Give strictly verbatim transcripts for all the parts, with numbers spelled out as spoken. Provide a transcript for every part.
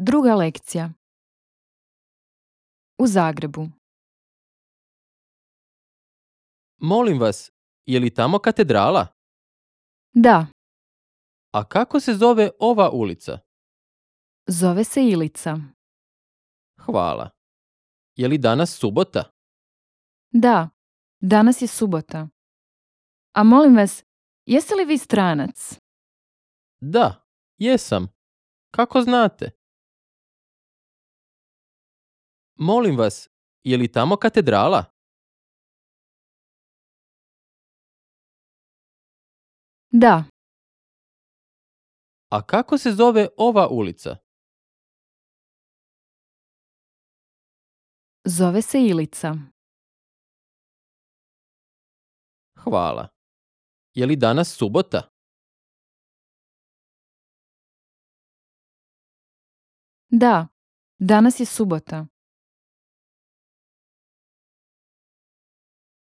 Druga lekcija. U Zagrebu. Molim vas, je li tamo katedrala? Da, A kako se zove ova ulica? zove se Ilica. Hvala. Je li danas subota? Da, danas je subota. A molim vas, jeste li vi stranac? Da, jesam. Kako znate? Molim vas, je li tamo katedrala? Da, A kako se zove ova ulica? zove se Ilica. Hvala. Je li danas subota? Da, danas je subota.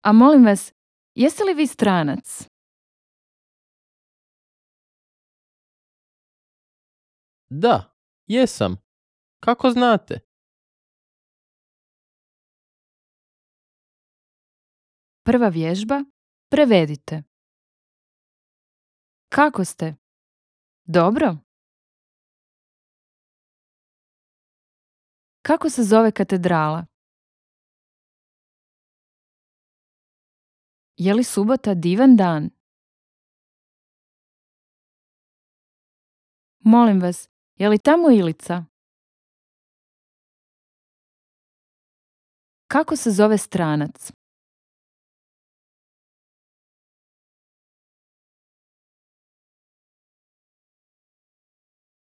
A molim vas, jeste li vi stranac? Da, jesam. Kako znate? Prva vježba. Prevedite. Kako ste? Dobro? Kako se zove katedrala? Je li subota divan dan? Molim vas, je li tamo Ilica? Kako se zove stranac?